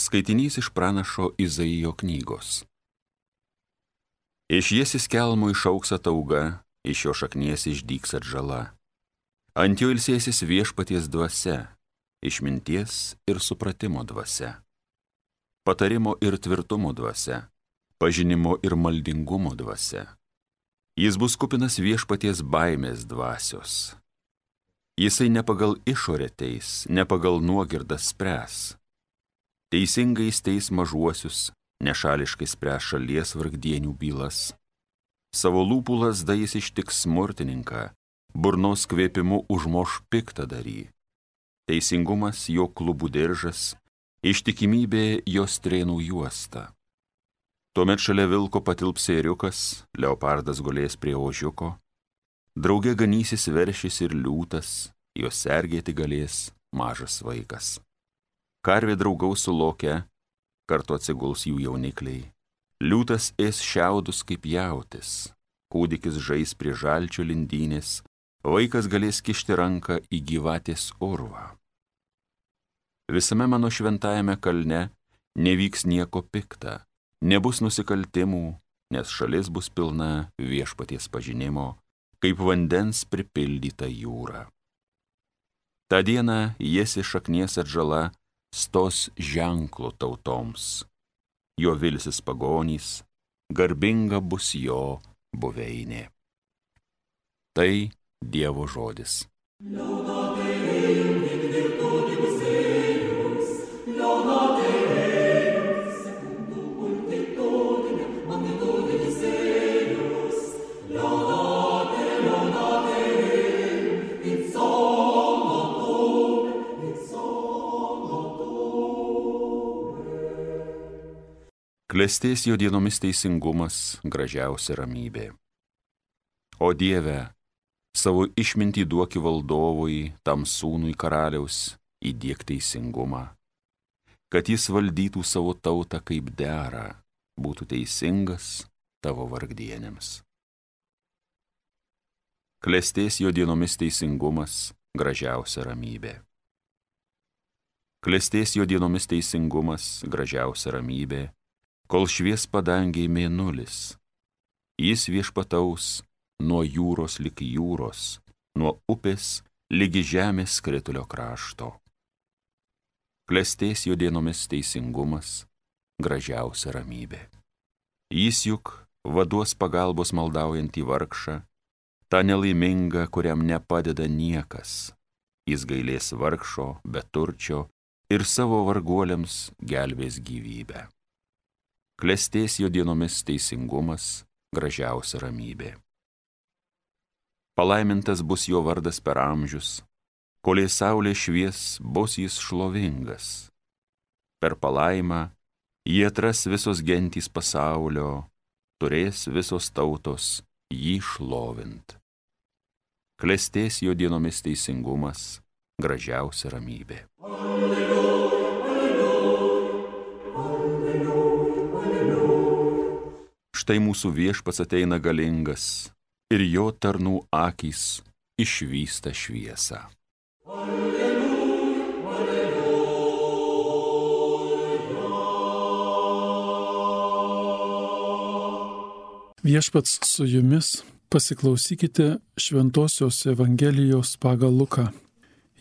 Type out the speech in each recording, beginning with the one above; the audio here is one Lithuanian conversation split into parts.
Skaitinys iš pranašo Izaijo knygos. Iš Jėsis kelmo išauks atauga, iš jo šaknies išdygs atžala. Ant jo ilsėsis viešpaties dvasia, išminties ir supratimo dvasia, patarimo ir tvirtumo dvasia, pažinimo ir maldingumo dvasia. Jis bus kupinas viešpaties baimės dvasios. Jisai ne pagal išorę teis, ne pagal nuogirdą spręs. Teisingai teis mažuosius, nešališkai spręs šalies vargdienių bylas. Savo lūpų lazda jis ištiks smurtininką, burnos kvėpimu užmoš piktadarį. Teisingumas jo klubų diržas, ištikimybė jo strėnų juosta. Tuomet šalia vilko patilps ėriukas, leopardas gulės prie ožiuko, drauge ganysis veršis ir liūtas, jos sergėti galės mažas vaikas. Karvė draugaus su loke, kartu atsiguls jų jaunikliai. Liūtas ės šiaudus kaip jautis, kūdikis žais prie žalčio lindynės, vaikas galės kišti ranką į gyvatės urvą. Visame mano šventajame kalne nevyks nieko pikta, nebus nusikaltimų, nes šalis bus pilna viešpaties pažinimo, kaip vandens pripildyta jūra. Ta diena Jėsis šaknies atžala stos ženklu tautoms. Jo vilsis pagonys, garbinga bus jo buveinė. Tai Dievo žodis. Klestės jo dienomis teisingumas, gražiausia ramybė. O Dieve, savo išmintį duoki valdovui, tam sūnui karaliaus, įdiek teisingumą, kad jis valdytų savo tautą kaip dera, būtų teisingas tavo vargdienėms. Klestės jo dienomis teisingumas, gražiausia ramybė. Klestės jo dienomis teisingumas, gražiausia ramybė, kol švies padangiai mėnulis. Jis viešpataus nuo jūros lig jūros, nuo upės ligi žemės skritulio krašto. Klestės jo dienomis teisingumas, gražiausia ramybė. Jis juk vaduos pagalbos maldaujantį vargšą, tą nelaimingą, kuriam nepadeda niekas. Jis gailės vargšo, beturčio ir savo varguoliams gelbės gyvybę. Klestės jo dienomis teisingumas, gražiausia ramybė. Palaimintas bus jo vardas per amžius, kolei saulė švies, bus jis šlovingas. Per palaimą jį atras visos gentys pasaulio, turės visos tautos jį šlovint. Klestės jo dienomis teisingumas, gražiausia ramybė. Štai mūsų viešpats ateina galingas ir jo tarnų akys išvysta šviesą. Viešpats su jumis, pasiklausykite Šventosios Evangelijos pagal Luką.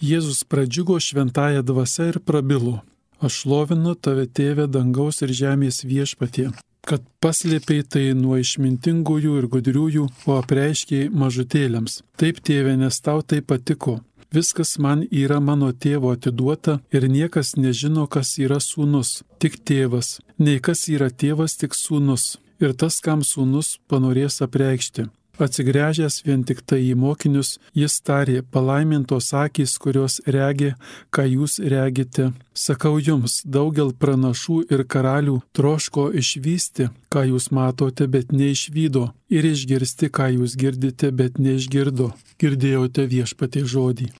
Jėzus pradžiugo šventąja dvasia ir prabilo: Aš šlovinu tave, Tėve, dangaus ir žemės viešpatie, kad paslėpei tai nuo išmintingųjų ir gudriųjų, o apreiškei mažutėliams. Taip, Tėve, nes tau tai patiko. Viskas man yra mano tėvo atiduota ir niekas nežino, kas yra sūnus, tik tėvas. Nei kas yra tėvas, tik sūnus. Ir tas, kam sūnus panorės apreikšti. Atsigręžęs vien tik tai į mokinius, jis tarė: Palaimintos akys, kurios regi, ką jūs regite. Sakau jums, daugel pranašų ir karalių troško išvysti, ką jūs matote, bet neišvydo, ir išgirsti, ką jūs girdite, bet neišgirdo. Girdėjote Viešpaties žodį.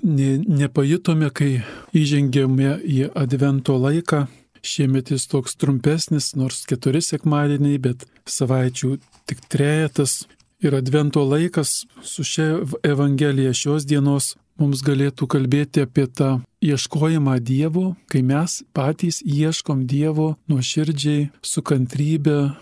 Nepajutome, kai įžengėme į Advento laiką. Šiemet jis toks trumpesnis, nors 4 sekmadieniai, bet savaičių tik 3. Ir Advento laikas su šia Evangelija šios dienos mums galėtų kalbėti apie tą ieškojimą Dievo, kai mes patys ieškom Dievo nuoširdžiai, su kantrybe,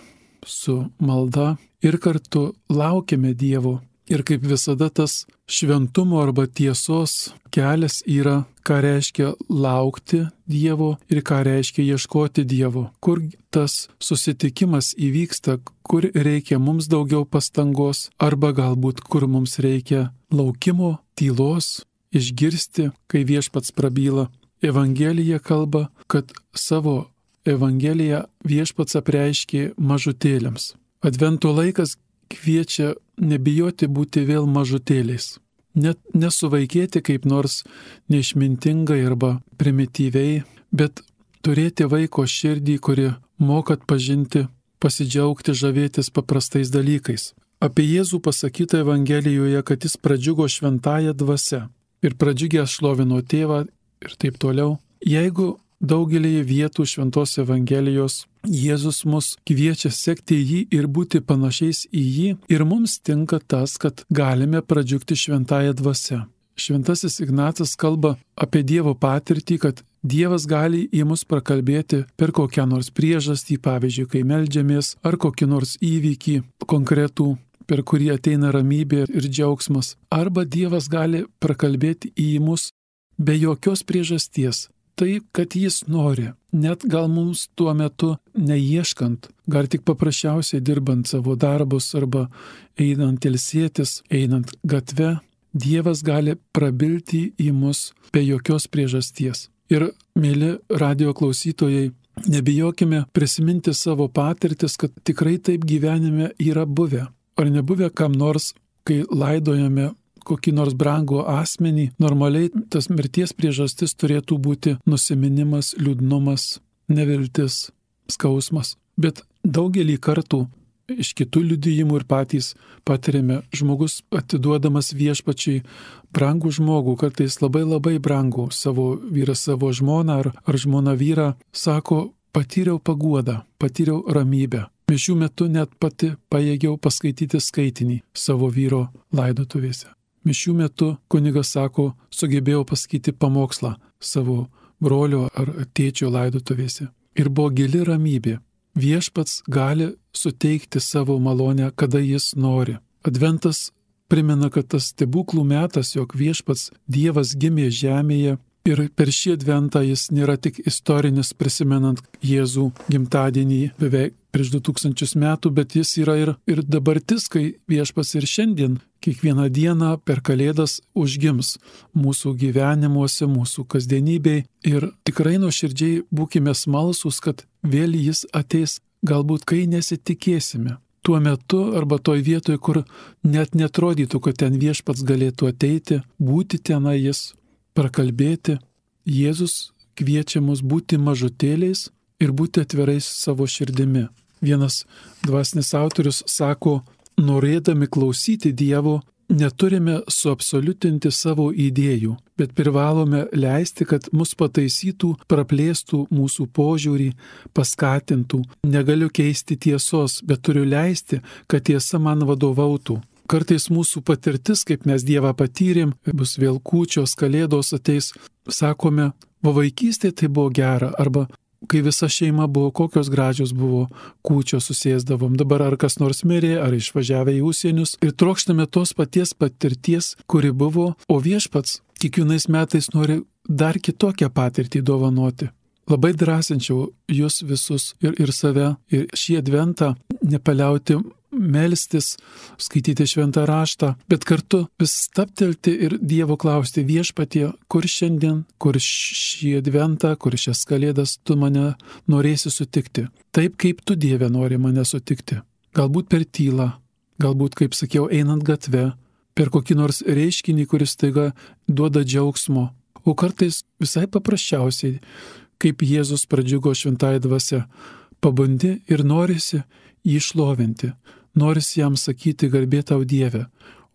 su malda ir kartu laukiame Dievo. Ir kaip visada tas šventumo arba tiesos kelias yra, ką reiškia laukti Dievo ir ką reiškia ieškoti Dievo. Kur tas susitikimas įvyksta, kur reikia mums daugiau pastangos, arba galbūt kur mums reikia laukimo, tylos, išgirsti, kai Viešpats prabyla. Evangelija kalba, kad savo Evangeliją Viešpats apreiškė mažutėliams. Advento laikas kviečia nebijoti būti vėl mažutėliais. Net nesuvaikėti kaip nors neišmintingai arba primityviai, bet turėti vaiko širdį, kuri moka atpažinti, pasidžiaugti, žavėtis paprastais dalykais. Apie Jėzų pasakyta Evangelijoje, kad jis pradžiugo šventąja dvasia ir pradžiugęs šlovino tėvą ir taip toliau. Jeigu daugelį vietų šventos Evangelijos Jėzus mus kviečia sekti jį ir būti panašiais į jį, ir mums tinka tas, kad galime pradžiugti šventąją dvasią. Šventasis Ignacas kalba apie Dievo patirtį, kad Dievas gali į mus prakalbėti per kokią nors priežastį, pavyzdžiui, kai meldžiamės, ar kokį nors įvykį konkretų, per kurį ateina ramybė ir džiaugsmas. Arba Dievas gali prakalbėti į mus be jokios priežasties. Tai, kad jis nori, net gal mums tuo metu neieškant, gal tik paprasčiausiai dirbant savo darbus arba einant ilsėtis, einant gatve, Dievas gali prabilti į mus be jokios priežasties. Ir, mėly radio klausytojai, nebijokime prisiminti savo patirtis, kad tikrai taip gyvenime yra buvę. Ar nebuvę kam nors, kai laidojame kokį nors brangų asmenį, normaliai tas mirties priežastis turėtų būti nusiminimas, liūdnumas, neviltis, skausmas. Bet daugelį kartų iš kitų liudijimų ir patys patiriame, žmogus atiduodamas Viešpačiui brangų žmogų, kartais labai brangų, savo vyrą, savo žmoną ar žmoną vyrą, sako, patyriau paguodą, patyriau ramybę. Mišių metu net pati pajėgiau paskaityti skaitinį savo vyro laidotuvėse. Mišių metu kunigas sako, sugebėjau pasakyti pamokslą savo brolio ar tėčio laidotuvėse. Ir buvo gili ramybė. Viešpats gali suteikti savo malonę, kada jis nori. Adventas primena, kad tas stebuklų metas, jog Viešpats Dievas gimė žemėje, ir per šį adventą jis nėra tik istorinis, prisimenant Jėzų gimtadienį beveik prieš 2000 metų, bet jis yra ir dabartis, kai Viešpats ir šiandien, kiekvieną dieną per Kalėdas užgims mūsų gyvenimuose, mūsų kasdienybėj. Ir tikrai nuoširdžiai būkime smalsūs, kad vėl jis ateis, galbūt kai nesitikėsime. Tuo metu arba toj vietoj, kur net netrodytų, kad ten Viešpats galėtų ateiti, būti tenai jis, prakalbėti. Jėzus kviečia mus būti mažutėliais ir būti atvirais savo širdimi. Vienas dvasinis autorius sako, norėdami klausyti Dievo, neturime suabsoliutinti savo idėjų, bet privalome leisti, kad mus pataisytų, praplėstų mūsų požiūrį, paskatintų. Negaliu keisti tiesos, bet turiu leisti, kad tiesa man vadovautų. Kartais mūsų patirtis, kaip mes Dievą patyrėm, bus vėl kūčios, Kalėdos ateis, sakome, vaikystėje tai buvo gera, arba kai visa šeima buvo, kokios gražios buvo kūčios, susėsdavom. Dabar ar kas nors mirė, ar išvažiavę į užsienius ir trokštame tos paties patirties, kuri buvo, o Viešpats kiekvienais metais nori dar kitokią patirtį dovanoti. Labai drąsinčiau jūs visus ir save, ir šį adventą nepaliauti melstis, skaityti šventą raštą, bet kartu vis stabtelti ir Dievo klausti, Viešpatie, kur šiandien, kur šį adventą, kur šias Kalėdas tu mane norėsi sutikti. Taip, kaip tu, Dieve, nori mane sutikti. Galbūt per tylą, galbūt, kaip sakiau, einant gatve, per kokį nors reiškinį, kuris taiga duoda džiaugsmo, o kartais visai paprasčiausiai, kaip Jėzus pradžiugo šventąja dvasia, pabundi ir norisi jį šlovinti. Norisi jam sakyti garbė tau Dieve,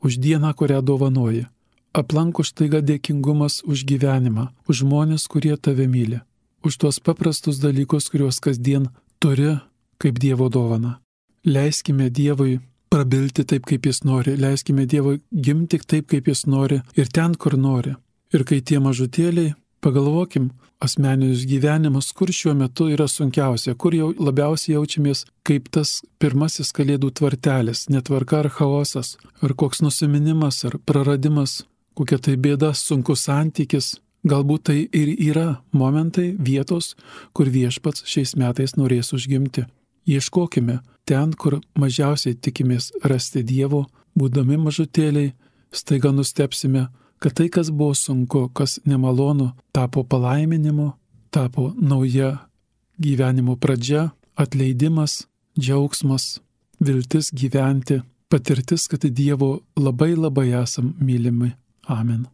už dieną, kurią dovanoji. Aplanko štaiga dėkingumas už gyvenimą, už žmonės, kurie tave myli, už tuos paprastus dalykus, kuriuos kasdien turi kaip Dievo dovana. Leiskime Dievui prabilti taip, kaip jis nori, leiskime Dievui gimti taip, kaip jis nori ir ten, kur nori. Ir kai tie mažutėliai, pagalvokim, asmeninius gyvenimus, kur šiuo metu yra sunkiausia, kur jau labiausiai jaučiamės kaip tas pirmasis Kalėdų tvartelis, netvarka ar chaosas, ar koks nusiminimas, ar praradimas, kokia tai bėda, sunkus santykis. Galbūt tai ir yra momentai, vietos, kur Viešpats šiais metais norės užgimti. Ieškokime ten, kur mažiausiai tikimės rasti Dievo, būdami mažutėliai, staiga nustepsime, kad tai, kas buvo sunku, kas nemalonu, tapo palaiminimu, tapo nauja gyvenimo pradžia, atleidimas, džiaugsmas, viltis gyventi, patirtis, kad Dievo labai labai esam mylimi. Amen.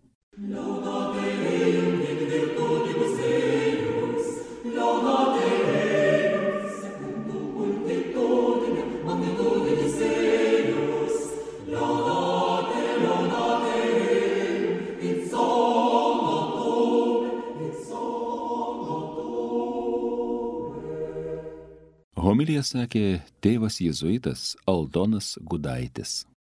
Homiliją sakė tėvas jėzuitas Aldonas Gudaitis.